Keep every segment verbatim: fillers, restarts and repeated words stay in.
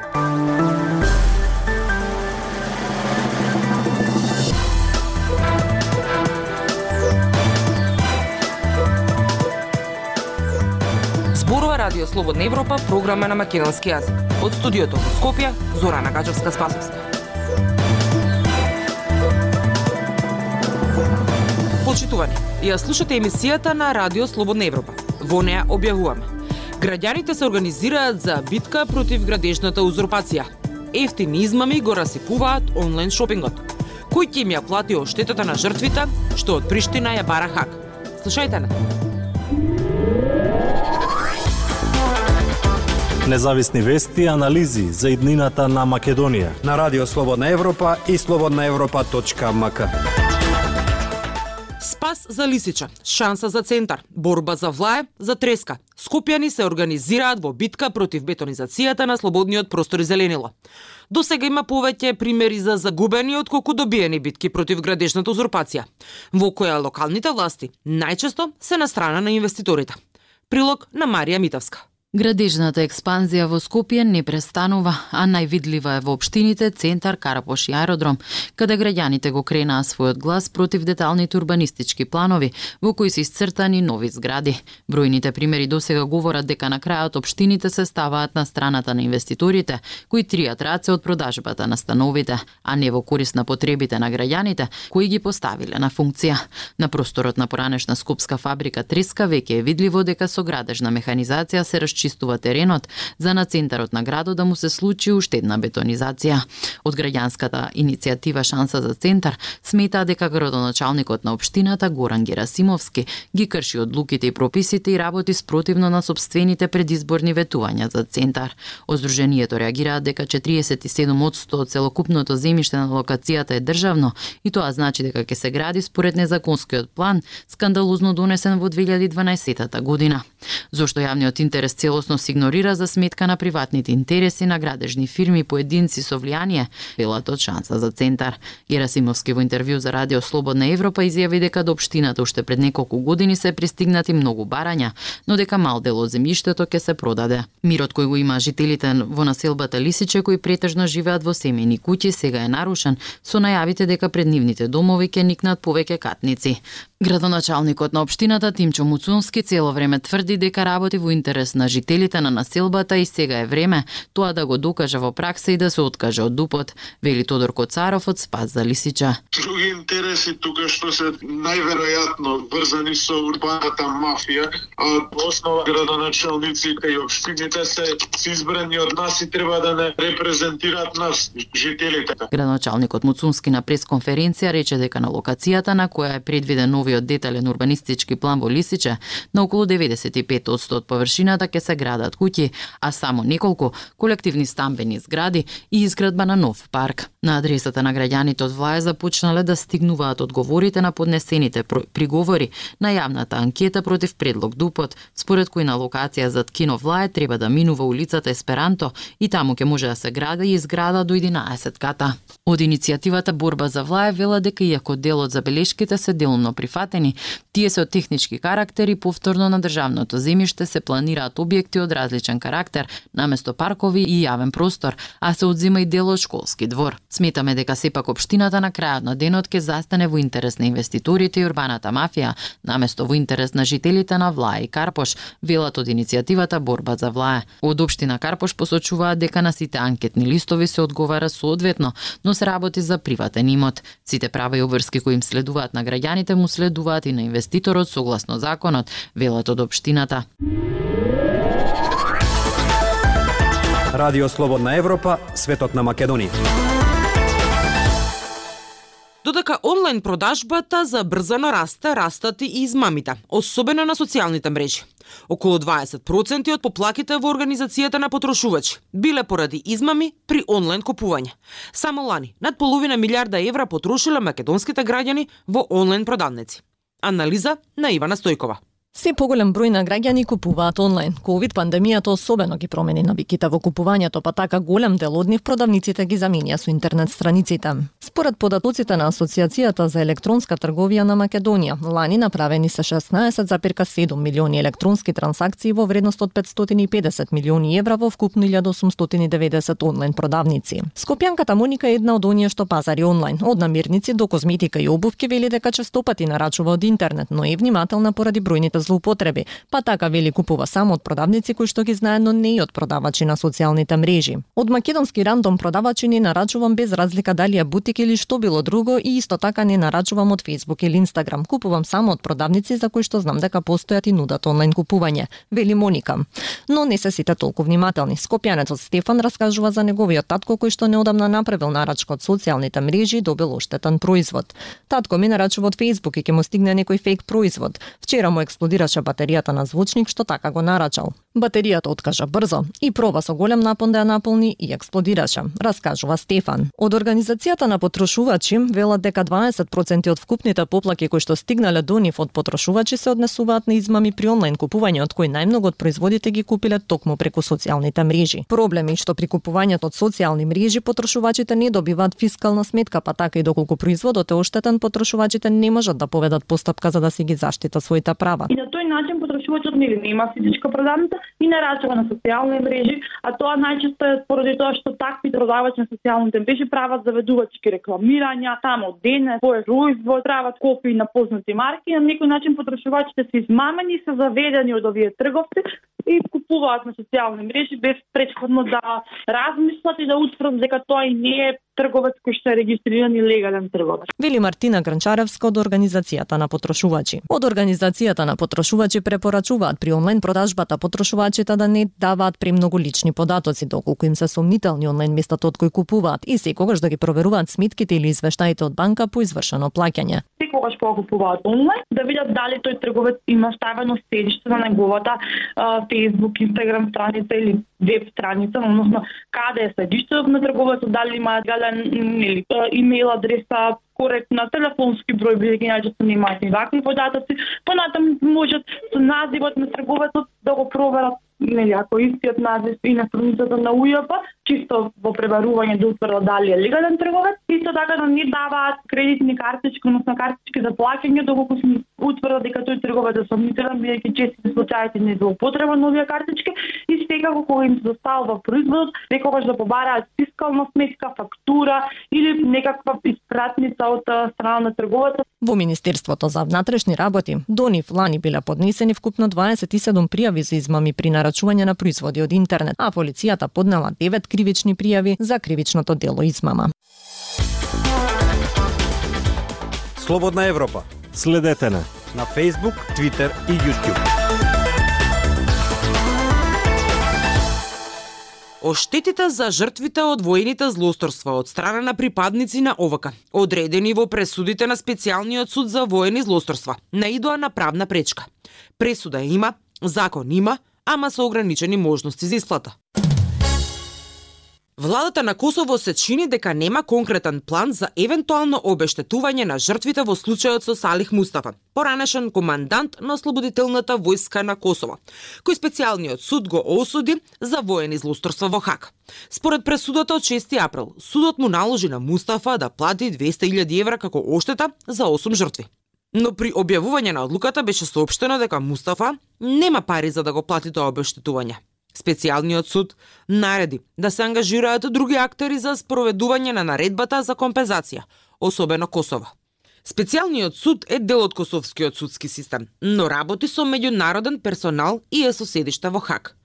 Зборува Радио Слободна Европа, програма на македонски јазик. Од студиото во Скопје, Зорана Гаџевска-Спасовска. Почитувани, ја слушате емисијата на Радио Слободна Европа. Во неа објавуваме: граѓаните се организираат за битка против градежната узурпација. Ефтини измами го расипуваат онлайн шопингот. Кој ќе им ја плати оштетата на жртвите, што од Приштина ја бара Хаг? Слушајте на. Независни вести и анализи за иднината на Македонија на Радио Слободна Европа и слободна европа точка ем ка. Спас за Лисича, шанса за центар, борба за влае, за треска. Скопјани се организираат во битка против бетонизацијата на слободниот простор и зеленило. До сега има повеќе примери за загубени отколку добиени битки против градежната узурпација, во која локалните власти најчесто се на страна на инвеститорите. Прилог на Марија Митовска. Градежната експанзија во Скопје не престанува, а највидлива е во општините Центар, Карапош и Аеродром, каде граѓаните го кренаа својот глас против деталните урбанистички планови, во кои се исцртани нови згради. Бројните примери досега говорат дека на крајот општините се ставаат на страната на инвеститорите, кои тријат раце од продажбата на становите, а не во корист на потребите на граѓаните, кои ги поставиле на функција. На просторот на поранешна скопска фабрика Треска веќе е видливо дека со градежна механизација се чистува теренот за на центарот на градот да му се случи уште една бетонизација. Од граѓанската иницијатива Шанса за центар смета дека градоначалникот на општината Горан Герасимовски ги крши одлуките и прописите и работи спротивно на сопствените предизборни ветувања за центар. Од Сдруженијето реагираат дека четириесет и седум одсто од целокупното земјиште на локацијата е државно и тоа значи дека ќе се гради според незаконскиот план, скандалозно донесен во две илјади и дванаесетта година. Зошто јавниот интерес целосно се игнорира за сметка на приватните интереси на градежни фирми поединци со влијание, велат од Шанса за центар. Герасимовски во интервју за Радио Слободна Европа изјави дека до општината уште пред неколку години се пристигнати многу барања, но дека мал дел од земјиштето ќе се продаде. Мирот кој го има жителите во населбата Лисиче, кои претежно живеат во семејни куќи, сега е нарушен со најавите дека пред нивните домови ќе никнат повеќе катници. Градоначалникот на општината Тимчо Муцунски цело време тврди дека работи во интерес на жителите на населбата и сега е време тоа да го докаже во пракса и да се откаже од дупот, вели Тодор Коцаров од Спас за Лисича. Други интереси тука што се најверојатно врзани со урбаната мафија, а основа градоначалниците и општините се избрани од нас и треба да не репрезентираат нас, жителите. Градоначалникот Муцунски на пресконференција рече дека на локацијата на која е предвиден новиот детален урбанистички план во Лисиче, на околу деветдесет и пет одсто од површината ќе се градат куќи, а само неколку колективни стамбени згради и изградба на нов парк. На адресата на граѓаните од влаја започнале да стигнуваат одговорите на поднесените приговори на јавната анкета против предлог Дупот, според кој на локација зад кино влаја треба да минува улицата Есперанто и таму ќе може да се гради и зграда до единаесет ката. Од иницијативата Борба за влаја вела дека иако дел од забелешките се делумно прифатени, тие се од технички карактер и повторно на државното земјиште се планираат објекти од различен карактер, наместо паркови и јавен простор, а се одзема и дел од школски двор. Сметаме дека сепак општината на крајот на денот ќе застане во интерес на инвеститорите и урбаната мафија, наместо во интерес на жителите на Влаја и Карпош, велат од иницијативата Борба за влаја. Од општина Карпош посочуваат дека на сите анкетни листови се одговара соодветно, но се работи за приватен имот. Сите права и обврски кои им следуваат на граѓаните му следуваат и на инвеститорот согласно законот, велат од општината. Радио Слободна Европа, светот на Македонија. Додека онлайн продажбата забрзано расте, растат и измамите, особено на социјалните мрежи. Околу дваесет проценти од поплаките во организацијата на потрошувачи биле поради измами при онлайн купување. Само лани над половина милиарда евра потрошиле македонските граѓани во онлайн продавници. Анализа на Ивана Стојкова. Се поголем број на граѓани купуваат онлайн. Ковид пандемијата особено ги промени навиките во купувањето, па така голем дел од нив продавниците ги заменија со интернет страниците. Според податоците на Асоциацијата за електронска трговија на Македонија, лани направени се шеснаесет зарез седум милиони електронски трансакции во вредност од петстотини и педесет милиони евра во вкупно илјада осумстотини и деветдесет онлайн продавници. Скопјанката Моника е една од оние што пазари онлайн. Од намирници до козметика и обувки вели дека честопати нарачува од интернет, но е внимателна поради бројните злоупотреби, па така вели купува само од продавници кои што ги знае, но не и од продавачи на социјалните мрежи. Од македонски рандом продавачи не нарачувам без разлика дали е бутик или што било друго и исто така не нарачувам од Facebook или Instagram. Купувам само од продавници за кои што знам дека постојат и нудат онлайн купување, вели Моника. Но не се сите толку внимателни. Скопјанецот Стефан раскажува за неговиот татко кој што неодамна направил нарачка од социјалните мрежи и добил оштетен производ. Татко ми нарачува од Facebook и ќе му стигне некој фейк производ. Вчера му експлодираше батеријата на звучник што така го нарачал. Батеријата откажа брзо и проба со голем напон да ја наполни и експлодираше, раскажува Стефан. Од организацијата на потрошувачи велат дека дваесет проценти од вкупните поплаки кои што стигнале до нив од потрошувачи се однесуваат на измами при онлайн купување, од кои најмногу од производите ги купиле токму преку социјалните мрежи. Проблем е што при купувањето од социјални мрежи потрошувачите не добиваат фискална сметка, па така и доколку производот е оштетен, потрошувачите не можат да поведат постапка за да си ги заштитат своите права. И на тој начин потрошувачот нели нема физичка продавница и нарачува на социјални мрежи, а тоа најчесто е поради тоа што такви продавачи на социјалните мрежи прават заведувачки рекламирања, само дене, свој производ, прават копии на познати марки, на некој начин потрошувачите се измамени и се заведени од овие трговци и купуваат на социјални мрежи без претходно да размислат и да утврдат дека тоа и не е трговец кој што е регистриран и легален трговец. Вели Мартина Гранчаревска од Организацијата на потрошувачи. Од Организацијата на потрошувачи препорачуваат при онлайн продажбата потрошувачите да не даваат премногу лични податоци доколку им се сомнителни онлайн местата од кои купуваат и секогаш да ги проверуваат сметките или извештаите од банка по извршено плаќање. Секогаш кога купуваат онлайн да видат дали тој трговец има ставено седиште на неговата Facebook, Instagram страница или веб страница, односно каде е седиштето на трговецот, дали има гален или имейл адреса, коректна, телефонски број, бидејќи најчесто немаат и вакви податоци, понатаму можат со називот на трговецот да го проверат, нели, ако истиот назив и на страницата на УЈП, чисто во пребарување да утврдат дали е легален трговец, исто така да не даваат кредитни картички, односно картички за плаќање доколку се утврдат дека тој трговец е сомнителен, бидејќи честите случаите не злоупотреба на овие картички и секако кога им се доставува производот, секогаш да побараат фискална сметка, фактура или некаква испратница од страна на трговецот. Во Министерството за внатрешни работи до нив лани биле поднесени вкупно дваесет и седум пријави за измами при нарачување на производи од интернет, а полицијата поднела девет кривични пријави за кривичното дело измама. Слободна Европа. Следете на на Facebook, Twitter и YouTube. Оштетите за жртвите од воените злосторства од страна на припадници на О В К, одредени во пресудите на Специјалниот суд за воени злосторства, наидоа на правна пречка. Пресуда има, закон има, ама со ограничени можности за исплата. Владата на Косово се чини дека нема конкретен план за евентуално обештетување на жртвите во случајот со Салих Мустафа, поранешен командант на Ослободителната војска на Косово, кој Специјалниот суд го осуди за воени злосторства во Хаг. Според пресудата од шести април, судот му наложи на Мустафа да плати двесте илјади евра како оштета за осум жртви. Но при објавување на одлуката беше соопштено дека Мустафа нема пари за да го плати тоа обештетување. Специјалниот суд нареди да се ангажираат други актери за спроведување на наредбата за компензација, особено Косово. Специјалниот суд е дел од косовскиот судски систем, но работи со меѓународен персонал и е со седиште во Хаг.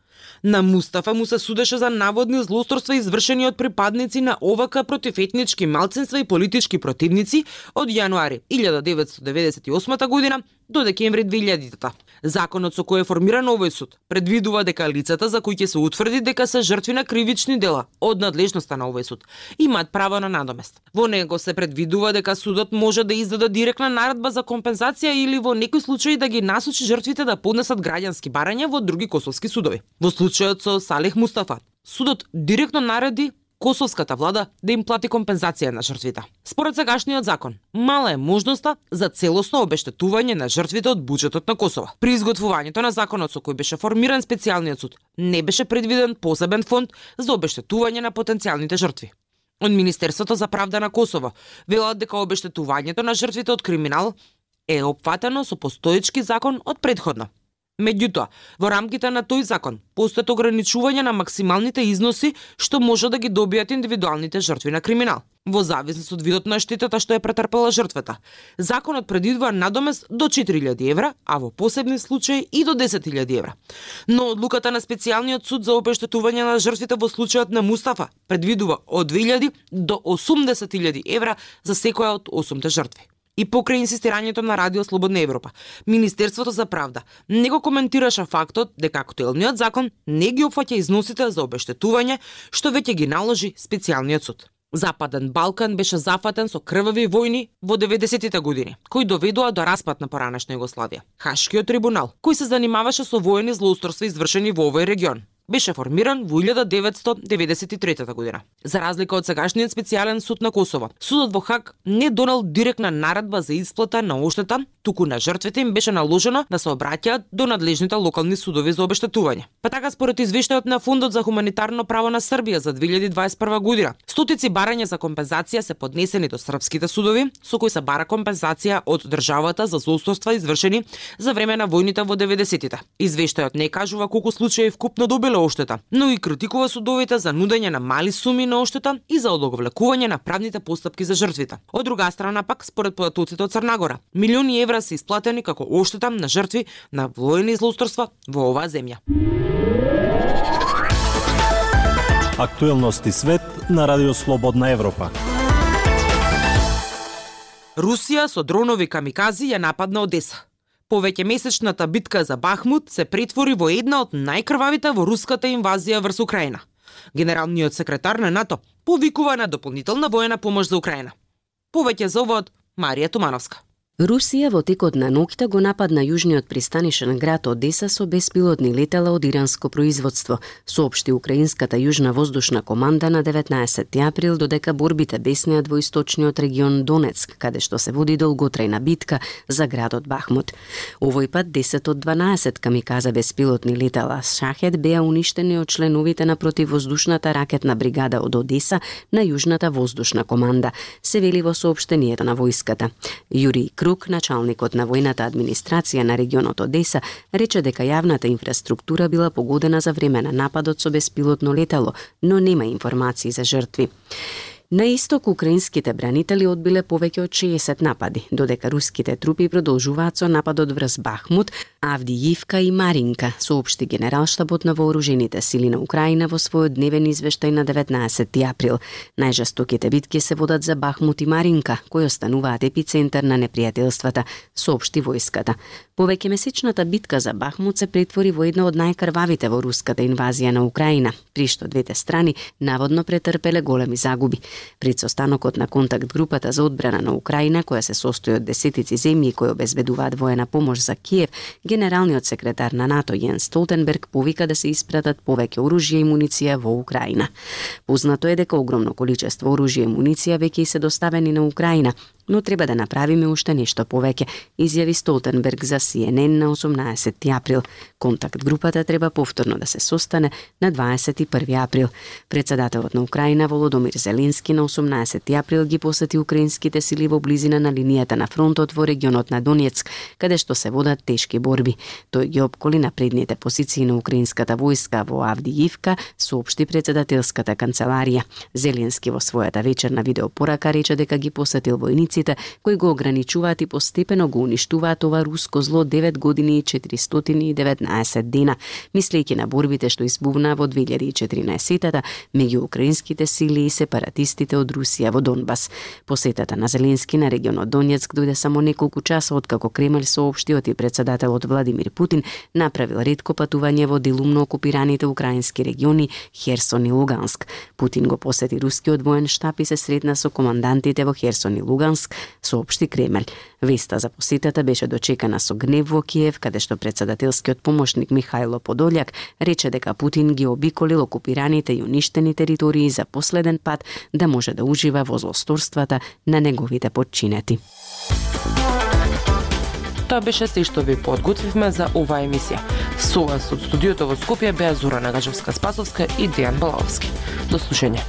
На Мустафа му се судеше за наводни злосторства извршени од припадници на О В К против етнички малцинства и политички противници од јануари илјада деветстотини деветдесет и осма година до декември две илјадитата. Законот со кој е формиран овој суд предвидува дека лицата за кои ќе се утврди дека се жртви на кривични дела од надлежноста на овој суд имаат право на надомест. Во него се предвидува дека судот може да издаде директна наредба за компензација или во некои случаи да ги насочи жртвите да поднесат граѓански барања во други косовски судови. Во случајот со Салих Мустафа, судот директно нареди косовската влада да им плати компензација на жртвите. Според сегашниот закон, мала е можноста за целосно обештетување на жртвите од буџетот на Косово. При изготвувањето на законот со кој беше формиран специјалниот суд, не беше предвиден посебен фонд за обештетување на потенцијалните жртви. Од Министерството за правда на Косово велат дека обештетувањето на жртвите од криминал е опфатено со постоечки закон од предходно. Меѓутоа, во рамките на тој закон постојат ограничување на максималните износи што може да ги добијат индивидуалните жртви на криминал, во зависност од видот на штетата што е претрпела жртвата. Законот предвидува надомест до четири илјади евра, а во посебни случаи и до десет илјади евра. Но одлуката на специјалниот суд за обештетување на жртвите во случајот на Мустафа предвидува од две илјади до осумдесет илјади евра за секоја од осумте жртви. И покрај инсистирањето на Радио Слободна Европа, Министерството за правда не го коментираше фактот дека актуелниот закон не ги опфаќа износите за обештетување што веќе ги наложи специјалниот суд. Западен Балкан беше зафатен со крвави војни во деветдесетите години, кои доведоа до распад на поранешна Југославија. Хашкиот трибунал, кој се занимаваше со воени злоустройства извршени во овој регион, беше формиран во илјада деветстотини деветдесет и трета година. За разлика од сегашниот специјален суд на Косово, судот во Хаг не донел директна наредба за исплата на оштета, туку на жртвите им беше наложено да се обраќаат до надлежните локални судови за обештетување. Па така според извештајот на Фондот за хуманитарно право на Србија за две илјади дваесет и прва година, стотици барања за компензација се поднесени до српските судови, со кои се бара компензација од државата за злоустройства извршени за време на војните во деветдесетите. Извештајот не кажува колку случаи вкупно добиле оштета, но и критикува судовите за нудење на мали суми на оштета и за одлаговлекување на правните постапки за жртвите. Од друга страна пак, според податоците од Црна Гора, милиони евра се исплатени како оштета на жртви на воени злоустройства во оваа земја. Актуелности свет на Радио Слободна Европа. Русија со дронови камикази ја нападна Одеса. Повеќемесечната битка за Бахмут се претвори во една од најкрвавите во руската инвазија врз Украина. Генералниот секретар на НАТО повикува на дополнителна воена помош за Украина. Повеќе за ова од Марија Тумановска. Русија во текот на ноќта го нападна јужниот пристанишен град Одеса со беспилотни летала од иранско производство, соопшти украинската јужна воздушна команда на деветнаесетти април, додека борбите беснеат во источниот регион Донецк, каде што се води долготрајна битка за градот Бахмут. Овој пат десет од дванаесет камиказа беспилотни летала Шахед беа уништени од членовите на противвоздушната ракетна бригада од Одеса на јужната воздушна команда, се вели во соопштението на војската. Јури Крук, началникот на војната администрација на регионот Одеса, рече дека јавната инфраструктура била погодена за време на нападот со беспилотно летало, но нема информации за жртви. На исток, украинските бранители одбиле повеќе од шеесет напади, додека руските трупи продолжуваат со нападот врз Бахмут, Авдијивка и Маринка, соопшти Генералштабот на вооружените сили на Украина во својот дневен извештај на деветнаесетти април. Најжестоките битки се водат за Бахмут и Маринка, кои остануваат епицентар на непријателствата, соопшти војската. Повеќемесечната битка за Бахмут се претвори во една од најкрвавите во руската инвазија на Украина, при што двете страни наводно претрпеле големи загуби. Пред состанокот на контакт групата за одбрана на Украина, која се состои од десетици земји кои обезбедуваат воена помош за Киев, генералниот секретар на НАТО Јенс Столтенберг повика да се испратат повеќе оружје и муниција во Украина. Познато е дека огромно количество оружје и муниција веќе се доставени на Украина, но треба да направиме уште нешто повеќе, изјави Столтенберг за Си Ен Ен на осумнаесетти април. Контакт групата треба повторно да се состане на дваесет и први април. Председателот на Украина Володомир Зеленски на осумнаесетти април ги посети украинските сили во близина на линијата на фронтот во регионот на Донецк, каде што се водат тешки борби. Тој ги опколи на предните позиции на украинската војска во Авдијивка, соопшти председателската канцеларија. Зеленски во својата вечерна видеопорака рече дека ги посетил војниците кои го ограничуваат и постепено го уништуваат ова руско зло девет години и четиристотини и деветнаесет дена, мислејќи на борбите што избувна во две илјади и четиринаесетта меѓу украинските сили и сепаратистите од Русија во Донбас. Посетата на Зеленски на регионот Донецк дојде само неколку часа откако Кремљ соопшти и председателот Владимир Путин направил ретко патување во делумно окупираните украински региони Херсон и Луганск. Путин го посети рускиот воен штаб и се сретна со командантите во Херсон и Луганск, Краматорск, соопшти Кремљ. Веста за посетата беше дочекана со гнев во Киев, каде што председателскиот помошник Михајло Подољак рече дека Путин ги обиколил окупираните и уништени територии за последен пат да може да ужива во злосторствата на неговите подчинети. Тоа беше се што ви подготвивме за оваа емисија. Со вас од студиото во Скопје беа Зора Нагажевска-Спасовска и Дејан Балаовски. До слушање.